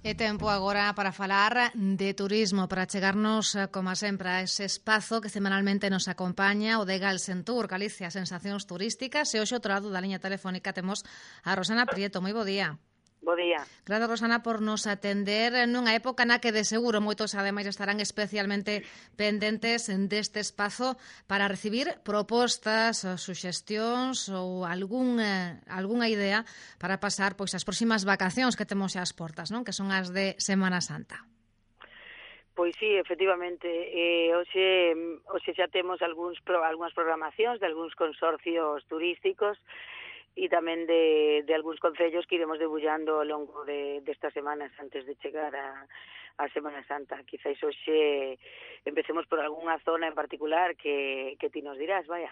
É tempo agora para falar de turismo, para chegarnos, como sempre, a ese espazo que semanalmente nos acompaña, o de Galsentur, Galicia, sensacións turísticas. E hoxe, outro lado da liña telefónica, temos a Rosana Prieto. Moi bo día. Bo día. Gracias, Rosana, por nos atender nunha época na que de seguro moitos ademais estarán especialmente pendentes deste espazo para recibir propostas, suxestións ou algunha idea para pasar pois as próximas vacacións que temos xa ás portas, non? Que son as de Semana Santa. Pois sí, efectivamente, hoxe xa temos algunhas programacións de algúns consorcios turísticos e tamén de algúns concellos que iremos debullando ao longo destas semanas antes de chegar a Semana Santa. Quizás hoxe empecemos por algunha zona en particular que ti nos dirás, vaya.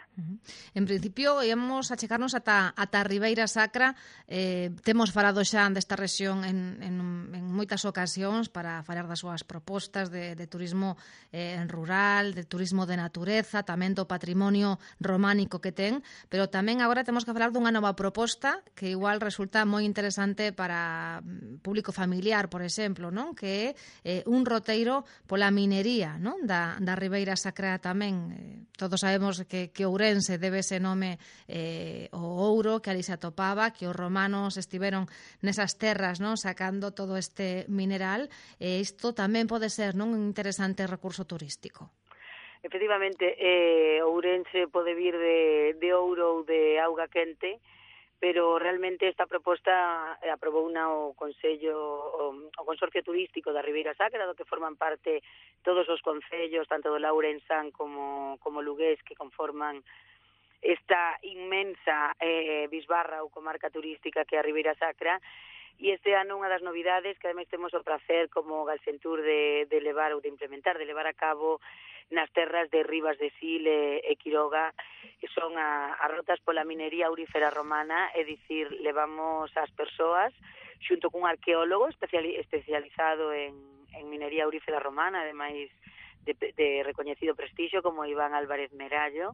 En principio, íamos a chegarnos ata a Ribeira Sacra. Temos falado xa desta rexión en moitas ocasións para falar das súas propostas de turismo rural, de turismo de natureza, tamén do patrimonio románico que ten, pero tamén agora temos que falar dunha nova proposta que igual resulta moi interesante para público familiar, por exemplo, non? Que é un roteiro pola minería, non? Da Ribeira Sacra tamén. Todos sabemos que Ourense debe ese nome ao ouro que ali se atopaba, que os romanos estiveron nesas terras, non? Sacando todo este mineral. Isto tamén pode ser, non? Un interesante recurso turístico. Efectivamente, Ourense pode vir de ouro ou de auga quente, pero realmente esta proposta aprobouna o Consorcio Turístico da Ribeira Sacra, do que forman parte todos os concellos, tanto do Ourensán como Lugués, que conforman esta inmensa bisbarra ou comarca turística que é a Ribeira Sacra. E este ano unha das novidades que ademais temos o prazer como Galsentur de levar ou de implementar, de levar a cabo nas terras de Ribas de Sil e Quiroga, que son as rotas pola minería aurífera romana, é dicir, levamos as persoas xunto cun arqueólogo especializado en minería aurífera romana, ademais de recoñecido prestixio como Iván Álvarez Merallo,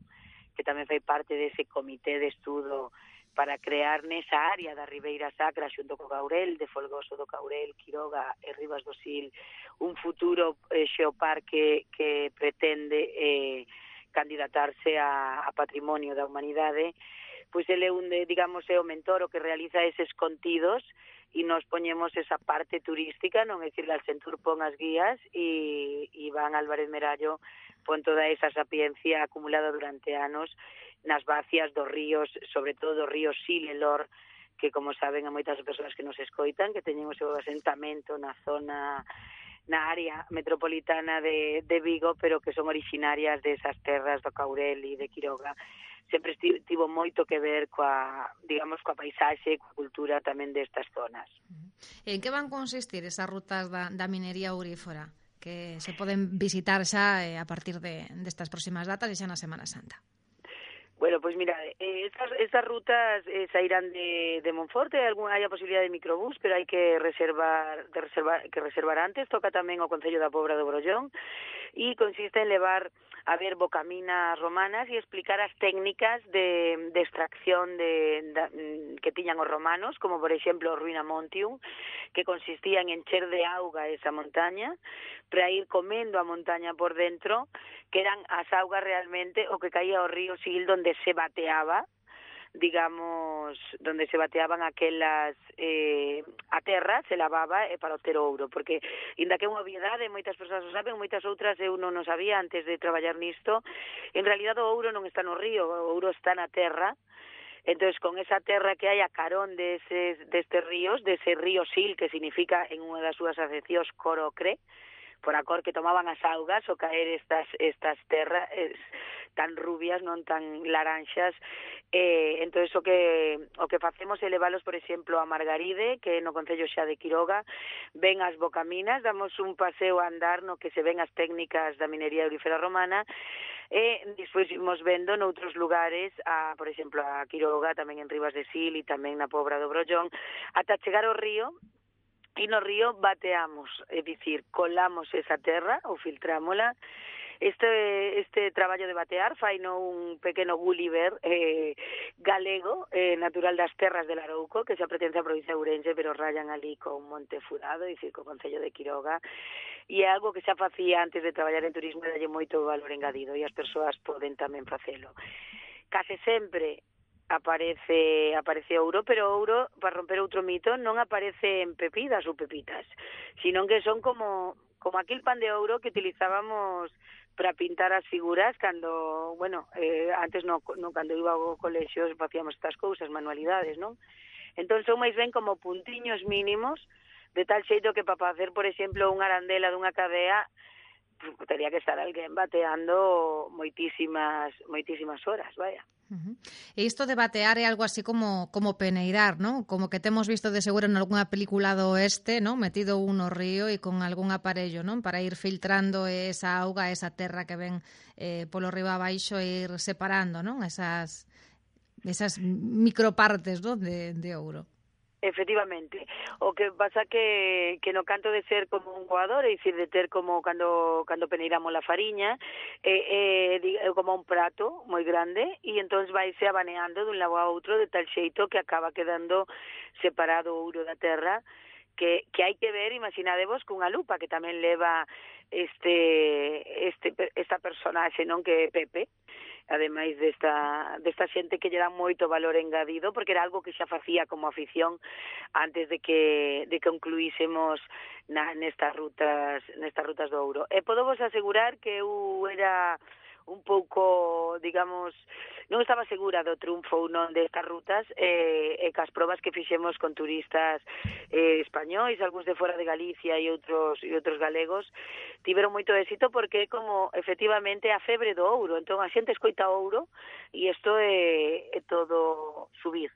que tamén fai parte dese comité de estudo para crear nesa área da Ribeira Sacra xunto co Caurel, de Folgoso do Caurel, Quiroga e Ribas do Sil, un futuro xeoparque que pretende candidatarse a patrimonio da humanidade. Pois ele é é o mentor o que realiza eses contidos e nos poñemos esa parte turística, non é dicir, Galsentur pon as guías e Iván Álvarez Merallo pon toda esa sapiencia acumulada durante anos nas vacias dos ríos, sobre todo do río Sil e Lor, que, como saben, a moitas persoas que nos escoitan, que teñen o seu asentamento na área metropolitana de Vigo, pero que son orixinarias desas terras do Caurel e de Quiroga. Sempre tivo moito que ver coa paisaxe e coa cultura tamén destas zonas. En que van consistir esas rutas da minería aurífera que se poden visitar xa a partir destas próximas datas e xa na Semana Santa? Bueno, pois mira, estas rutas sairán de Monforte, hai a posibilidade de microbús, pero hai que reservar antes. Toca tamén o Concello da Pobra do Brollón e consiste en levar a ver bocaminas romanas e explicar as técnicas de extracción que tiñan os romanos, como por exemplo o Ruina Montium, que consistía en encher de auga esa montaña para ir comendo a montaña por dentro, que eran as augas realmente o que caía ao río Sil, donde se bateaba, donde se bateaban aquelas a terra, se lavaba para obter ouro, porque inda que é unha obviedade, moitas persoas o saben, moitas outras eu non o sabía antes de traballar nisto. En realidad o ouro non está no río, o ouro está na terra. Entonces, con esa terra que hai a carón destes ríos, dese río Sil, que significa en unha das súas acepcións corocre, por a cor que tomaban as augas ao caer estas terras tan rubias, non tan laranxas. Entonces o que facemos é leválos, por exemplo, a Margaride, que é no Concello xa de Quiroga, ven as bocaminas, damos un paseo a andar no que se ven as técnicas da minería aurífera romana, e despois imos vendo noutros lugares, por exemplo, a Quiroga, tamén en Ribas de Sil e tamén na Pobra do Brollón, ata chegar ao río. E no río bateamos, é dicir, colamos esa terra ou filtrámola Este traballo de batear faino un pequeno Gulliver galego, natural das terras de Larouco, que xa pertence á provincia de Ourense, pero rayan ali con Monte Furado, dicir, co concello de Quiroga, e é algo que xa facía antes de traballar en turismo e dalle moito valor engadido, e as persoas poden tamén facelo. Case sempre aparece ouro, pero ouro, para romper outro mito, non aparece en pepidas ou pepitas, sino que son como aquel pan de ouro que utilizábamos para pintar as figuras cando, antes cando iba ao colexio facíamos estas cousas, manualidades, non? Entón son máis ben como puntiños mínimos, de tal xeito que para facer, por exemplo, unha arandela dunha cadea, tería que estar alguén bateando moitísimas horas, vaya. E isto de batear é algo así como peneirar, ¿no? Como que temos visto de seguro en algunha película do oeste, ¿no? Metido un no río e con algún aparello, ¿no? Para ir filtrando esa auga, esa terra que ven polo río abaixo e ir separando, ¿no? Esas micropartes, ¿no? de ouro. Efectivamente, o que pasa que no canto de ser como un coador, é dicir, de ter como cando peneiramos a fariña, como un prato moi grande, e entón vaise abaneando dun lado a outro de tal xeito que acaba quedando separado o ouro da terra, que hai que ver, imaginadevos, cunha lupa, que tamén leva esta personaxe, non, que é Pepe, ademais desta xente que lle dá moito valor engadido, porque era algo que xa facía como afición antes de que concluísemos nestas rutas do ouro. E podo vos asegurar que eu era un pouco, digamos, non estaba segura do triunfo ou non destas rutas, e cas probas que fixemos con turistas españois, algúns de fora de Galicia e outros galegos, tiveron moito éxito porque é como, efectivamente, a febre do ouro. Entón, a xente escoita ouro e isto é todo subir.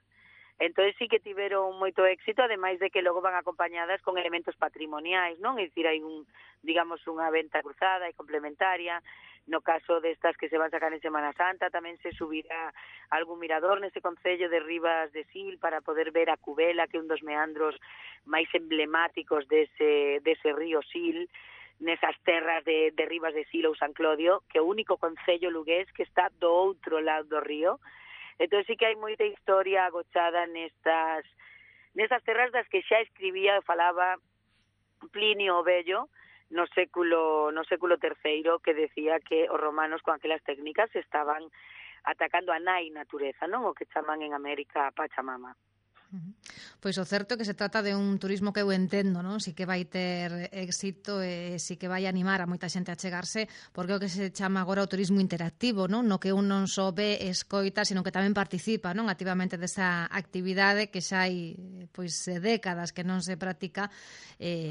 Entón, sí que tiveron moito éxito, ademais de que logo van acompañadas con elementos patrimoniais, non? É dicir, hai unha venta cruzada e complementaria. No caso destas que se van sacar en Semana Santa, tamén se subirá algún mirador nese concello de Ribas de Sil para poder ver a Cubela, que é un dos meandros máis emblemáticos dese río Sil, nesas terras de Ribas de Sil ou San Clodio, que é o único concello lugués que está do outro lado do río. Entón, sí que hai moita historia agochada nestas terras das que xa escribía e falaba Plinio o Vello no século III, que decía que os romanos con aquelas técnicas estaban atacando a nai natureza, non? O que chaman en América Pachamama. Pois o certo é que se trata de un turismo que eu entendo, non? Si que vai ter éxito e si que vai animar a moita xente a chegarse, porque é o que se chama agora o turismo interactivo, non? No que un non só ve e escoita, sino que tamén participa, non? Activamente desa actividade que xa hai décadas que non se practica.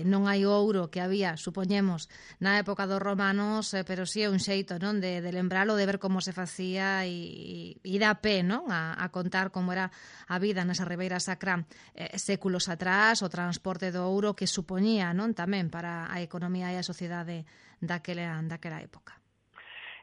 Non hai ouro que había, supoñemos, na época dos romanos, pero si é un xeito, non? De lembralo, de ver como se facía e dá pé, non? A contar como era a vida nesa Ribeira Sacra séculos atrás, o transporte do ouro que supoñía, non, tamén para a economía e a sociedade daquela época.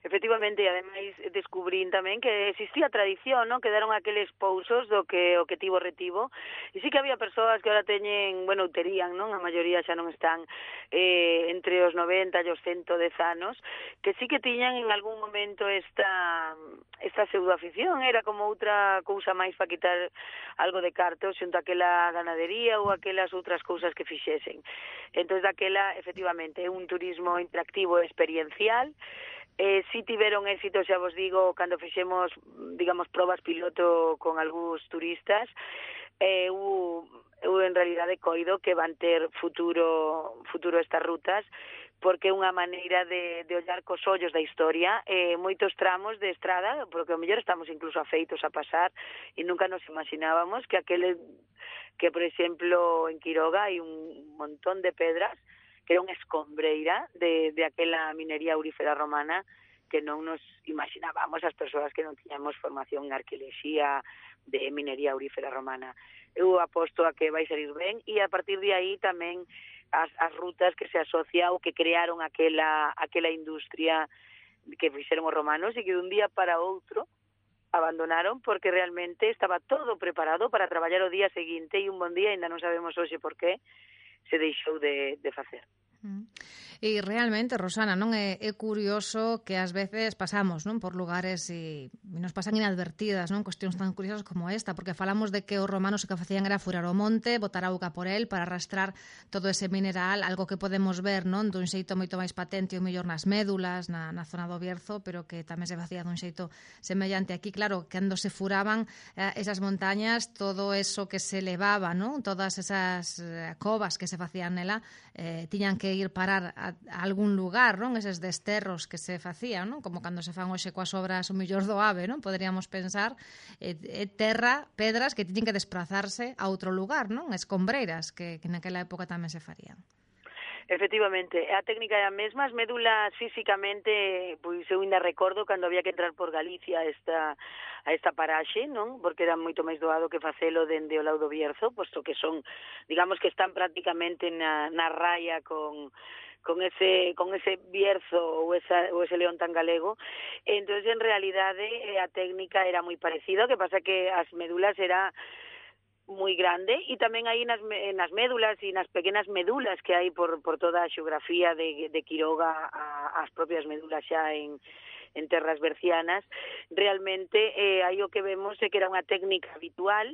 Efectivamente, e ademais descubrín tamén que existía tradición, non? Quedaron aqueles pousos do que o que tivo retivo, e sí que había persoas que ahora teñen, terían, non? A maioría xa non están entre os 90 e os 110 anos, que sí que tiñan en algún momento esta pseudoafición, era como outra cousa máis para quitar algo de carto xunto a aquela ganadería ou aquelas outras cousas que fixesen. Entón, daquela, efectivamente, é un turismo interactivo e experiencial. Si tiveron éxito, xa vos digo, cando fixemos, digamos, probas piloto con algúns turistas, eu en realidade coido que van ter futuro estas rutas, porque é unha maneira de ollar cos ollos da historia, moitos tramos de estrada, porque ao mellor estamos incluso afeitos a pasar e nunca nos imaginábamos que por exemplo, en Quiroga hai un montón de pedras que era unha escombreira de aquela minería aurífera romana que non nos imaginábamos as persoas que non tiñamos formación en arqueoloxía de minería aurífera romana. Eu aposto a que vai salir ben e a partir de aí tamén as rutas que se asocia ou que crearon aquela industria que fixeron os romanos e que dun día para outro abandonaron porque realmente estaba todo preparado para traballar o día seguinte e un bon día, ainda non sabemos hoxe por qué, se deixou de facer. E realmente, Rosana, non é curioso que ás veces pasamos, non, por lugares e nos pasan inadvertidas, non, cuestións tan curiosas como esta, porque falamos de que os romanos o que facían era furar o monte, botar auga por el para arrastrar todo ese mineral, algo que podemos ver, non, dun xeito moito máis patente o mellor nas médulas, na zona do Bierzo, pero que tamén se facía dun xeito semellante aquí. Claro, cando se furaban esas montañas, todo eso que se levaba, non, todas esas covas que se facían nela, tiñan que ir parar a algún lugar, non? Eses desterros que se facían, non? Como cando se fan hoxe coas obras o mellor do AVE, non? Poderíamos pensar terra, pedras que tiñen que desplazarse a outro lugar, non? Escombreiras que naquela época tamén se farían. Efectivamente, a técnica é a mesma, as médulas físicamente, pois eu ainda recordo cando había que entrar por Galicia a esta paraxe, non? Porque era moito máis doado que facelo dende o lado do Bierzo, posto que son, digamos que están prácticamente na raya con ese Bierzo ou ese león tan galego. Entonces, en realidade, a técnica era moi parecida, o que pasa que as médulas era moi grande, e tamén aí nas médulas e nas pequenas médulas que hai por toda a xeografía de Quiroga, as propias médulas xa en terras bercianas, realmente aí o que vemos é que era unha técnica habitual,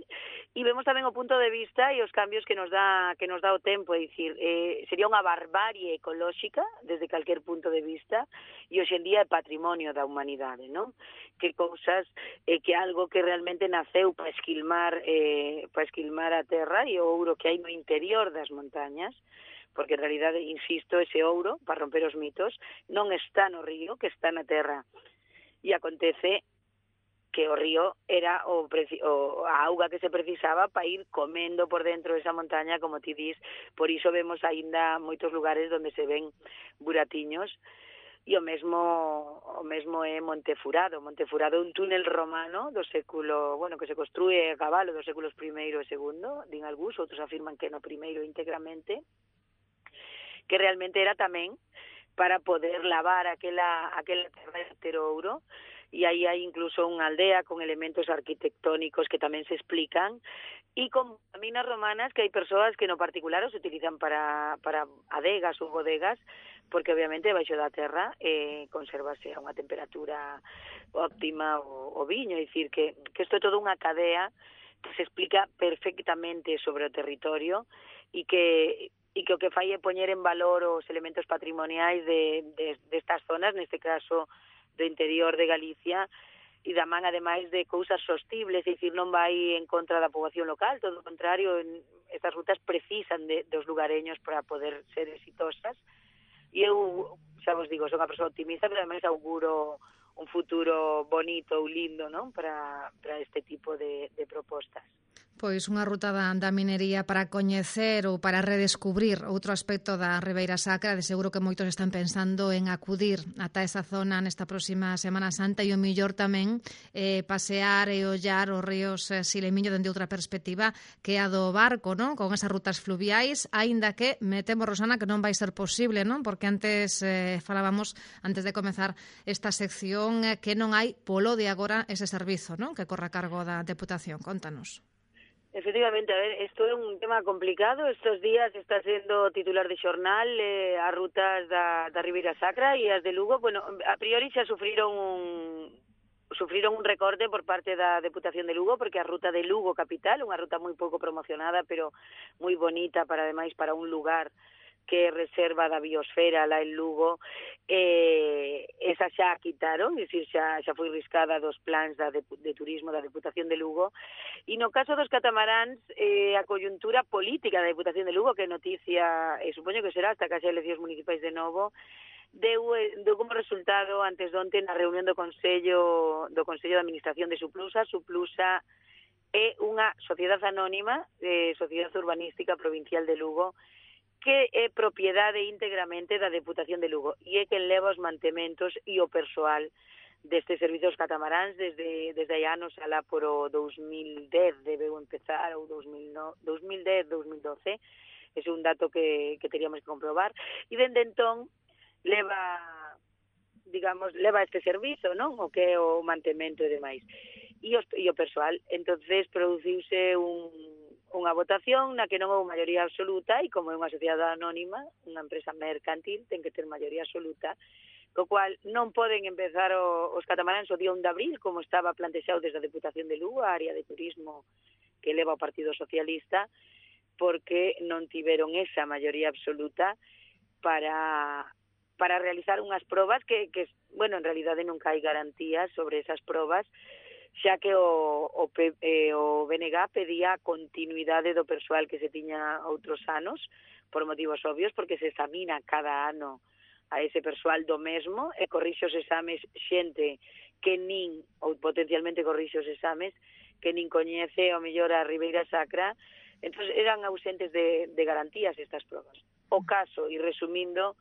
e vemos tamén o punto de vista e os cambios que nos dá o tempo, é dicir, sería unha barbarie ecolóxica desde calquer punto de vista, e hoxe en día é patrimonio da humanidade, non? Que cousas, que algo que realmente naceu para esquilmar a terra e o ouro que hai no interior das montañas, porque en realidade, insisto, ese ouro, para romper os mitos, non está no río, que está na terra. E acontece que o río era a auga que se precisaba para ir comendo por dentro desa montaña, como ti dis. Por iso vemos aínda moitos lugares onde se ven buratiños. E o mesmo é Montefurado. Montefurado é un túnel romano do século, que se construe a cabalo dos séculos I e II, din algúns, outros afirman que no primeiro íntegramente, que realmente era tamén para poder lavar aquela terra de ter ouro, e aí hai incluso unha aldea con elementos arquitectónicos que tamén se explican, e con minas romanas que hai persoas que no particular os utilizan para adegas ou bodegas, porque obviamente baixo da terra conservase a unha temperatura óptima o viño, é dicir que isto é toda unha cadea que se explica perfectamente sobre o territorio, e que o que fai é poñer en valor os elementos patrimoniais destas zonas, neste caso do interior de Galicia, e da man, ademais, de cousas sostibles, é dicir, non vai en contra da poboación local, todo o contrario, estas rutas precisan dos lugareños para poder ser exitosas, e eu, xa vos digo, son unha persoa optimista, pero ademais auguro un futuro bonito ou lindo, non, para este tipo de propostas. Pois unha ruta da minería para coñecer ou para redescubrir outro aspecto da Ribeira Sacra. De seguro que moitos están pensando en acudir ata esa zona nesta próxima Semana Santa, e o millor tamén pasear e ollar os ríos Silemiño dende outra perspectiva que a do barco, non? Con esas rutas fluviais, aínda que me temo, Rosana, que non vai ser posible, non? Porque antes falábamos, antes de comezar esta sección, que non hai polo de agora ese servizo, non? Que corre a cargo da Deputación. Contanos. Efectivamente, a ver, isto é un tema complicado. Estos días está sendo titular de xornal as rutas da Ribeira Sacra e as de Lugo. Bueno, a priori xa sufriron un recorte por parte da Deputación de Lugo, porque a ruta de Lugo capital, unha ruta moi pouco promocionada, pero moi bonita ademais para un lugar que reserva da biosfera lá en Lugo, esa xa a quitaron, é dicir, xa foi riscada dos plans de turismo da Deputación de Lugo, e no caso dos catamaráns, a coyuntura política da Deputación de Lugo, que noticia, supoño que será hasta que haxa eleccións municipais de novo, deu como resultado antes de onte na reunión do Consello de Administración de Suplusa. Suplusa é unha sociedade anónima, Sociedade Urbanística Provincial de Lugo, que é propiedade íntegramente da Deputación de Lugo, e é quen leva os mantementos e o persoal destes servizos catamaráns desde hai anos, alá por o 2010 debeu empezar, ou 2010-2012, ese é un dato que teríamos que comprobar, e dende entón leva este servizo, non? O que é o mantemento e demais, e o persoal. Entonces produciuse unha votación na que non houve maioría absoluta e como é unha sociedade anónima, unha empresa mercantil, ten que ter maioría absoluta, co cual non poden empezar os catamaráns o día 1 de abril, como estaba plantexado desde a Deputación de Lugo, a área de turismo que leva o Partido Socialista, porque non tiveron esa maioría absoluta para realizar unhas probas que, bueno, en realidade nunca hai garantías sobre esas probas, xa que o BNG pedía a continuidade do persoal que se tiña outros anos, por motivos obvios, porque se examina cada ano a ese persoal do mesmo e corrixe os exames xente que nin, ou potencialmente corrixe os exames, que nin coñece ao mellor a Ribeira Sacra, entón eran ausentes de garantías estas probas. O caso, e resumindo,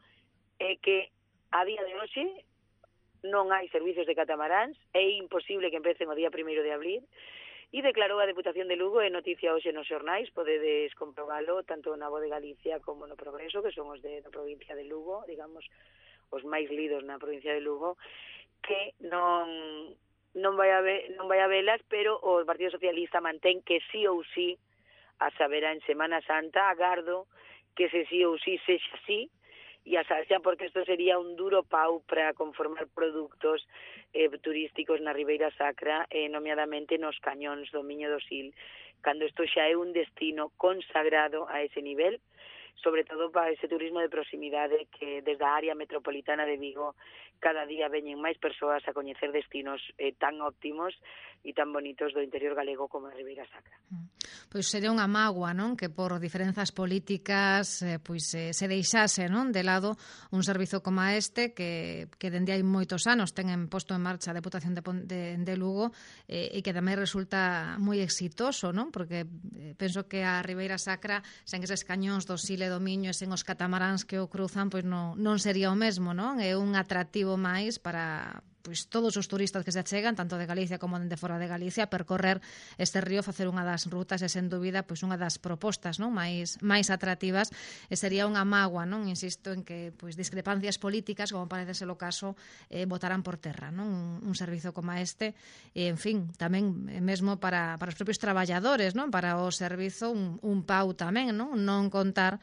é que a día de hoxe non hai servizos de catamaráns, é imposible que empecen o día 1 de abril, e declarou a Deputación de Lugo, é noticia hoxe nos xornais, podedes comprobalo tanto na Voz de Galicia como no Progreso, que son os da provincia de Lugo, digamos, os máis lidos na provincia de Lugo, que non vai a velas, pero o Partido Socialista mantén que sí ou sí, a saberá en Semana Santa, agardo que se sí ou sí sexa así, e a xa porque isto sería un duro pau para conformar produtos turísticos na Ribeira Sacra, nomeadamente nos cañóns do Miño do Sil, cando isto xa é un destino consagrado a ese nivel, sobre todo para ese turismo de proximidade que desde a área metropolitana de Vigo cada día veñen máis persoas a coñecer destinos tan óptimos e tan bonitos do interior galego como a Ribeira Sacra. Pois sería unha mágoa, non, que por diferenzas políticas se deixase, non, de lado un servizo como este que dende hai moitos anos ten posto en marcha a Deputación de Lugo e que tamén resulta moi exitoso, non, porque penso que a Ribeira Sacra sen eses cañóns do Sil e do Miño e sen os catamaráns que o cruzan, pois non sería o mesmo, non? É un atractivo máis para todos os turistas que se achegan, tanto de Galicia como de fora de Galicia, percorrer este río, facer unha das rutas e, sen dúbida, unha das propostas, non, máis atractivas, e sería unha mágoa, non, insisto, en que discrepancias políticas, como parece ser o caso, botarán por terra, non, un servizo como este, e, en fin, tamén mesmo para os propios traballadores, non, para o servizo, un pau tamén, non contar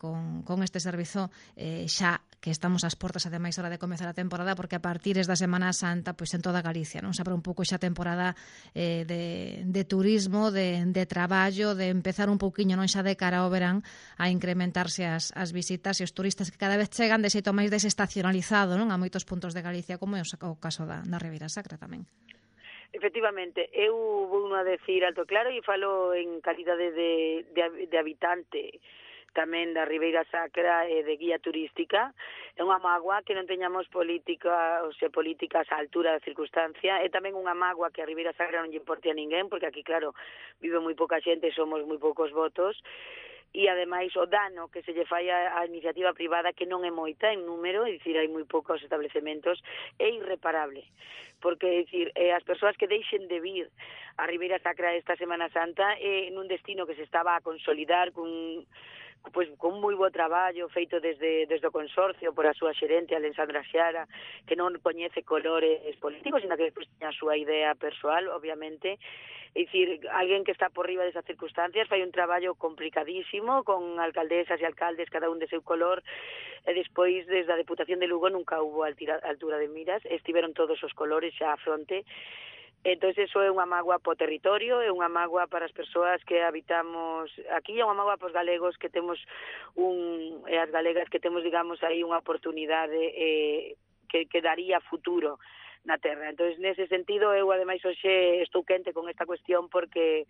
con este servizo xa que estamos ás portas, ademais, hora de comezar a temporada, porque a partir da Semana Santa, en toda Galicia, non se abre un pouco xa a temporada de turismo, de traballo, de empezar un pouquiño, non xa de cara ao verán, a incrementarse as visitas e os turistas que cada vez chegan de xeito máis desestacionalizado, non, a moitos puntos de Galicia, como é o caso da Ribeira Sacra tamén. Efectivamente, eu vou a decir alto claro e falo en calidade de habitante tamén da Ribeira Sacra e de guía turística. É unha mágoa que non teñamos políticas á altura da circunstancia. É tamén unha mágoa que a Ribeira Sacra non lle importe a ninguén, porque aquí, claro, vive moi pouca xente e somos moi poucos votos. E, ademais, o dano que se lle fai á iniciativa privada, que non é moita en número, é dicir, hai moi poucos establecementos, é irreparable. Porque, é dicir, as persoas que deixen de vir a Ribeira Sacra esta Semana Santa nun destino que se estaba a consolidar con moi bo traballo feito desde o consorcio por a súa xerente, Alexandra Xiara, que non coñece colores políticos, sino que teña a súa idea persoal, obviamente. É dicir, alguén que está por riba desas circunstancias fai un traballo complicadísimo con alcaldesas e alcaldes, cada un de seu color, e despois, desde a Deputación de Lugo, nunca hubo altura de miras, estiveron todos os colores xa a fronte. Entón, iso é unha mágoa po territorio, é unha mágoa para as persoas que habitamos aquí, é unha mágoa para os galegos que temos e as galegas que temos, digamos, aí unha oportunidade que daría futuro na terra. Entón, nese sentido, eu, ademais, hoxe estou quente con esta cuestión porque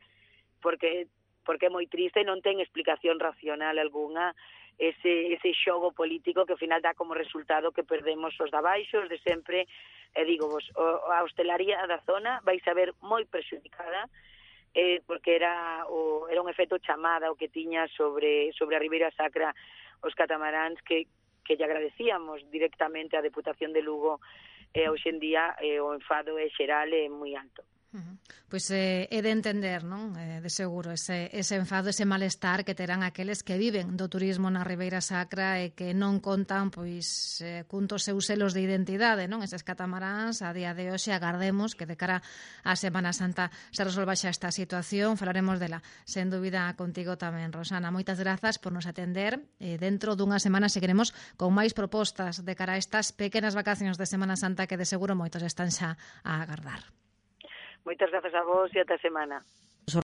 é moi triste e non ten explicación racional algunha ese xogo político que ao final dá como resultado que perdemos os de abaixo, os de sempre, e digo vos, a hostelaría da zona vai saber moi prexudicada porque era un efecto chamada o que tiña sobre a Ribeira Sacra os catamaráns que lle agradecíamos directamente á Deputación de Lugo, e hoxe en día o enfado é xeral e moi alto. Pois é de entender, non? De seguro, ese enfado, ese malestar que terán aqueles que viven do turismo na Ribeira Sacra e que non contan pois cuntos seus selos de identidade, non? Eses catamaráns a día de hoxe agardemos que de cara á Semana Santa se resolva xa esta situación, falaremos dela sen dúbida contigo tamén, Rosana. Moitas grazas por nos atender. Dentro dunha semana seguiremos con máis propostas de cara a estas pequenas vacacións de Semana Santa que de seguro moitos están xa a agardar. Moitas grazas a vos e ata semana.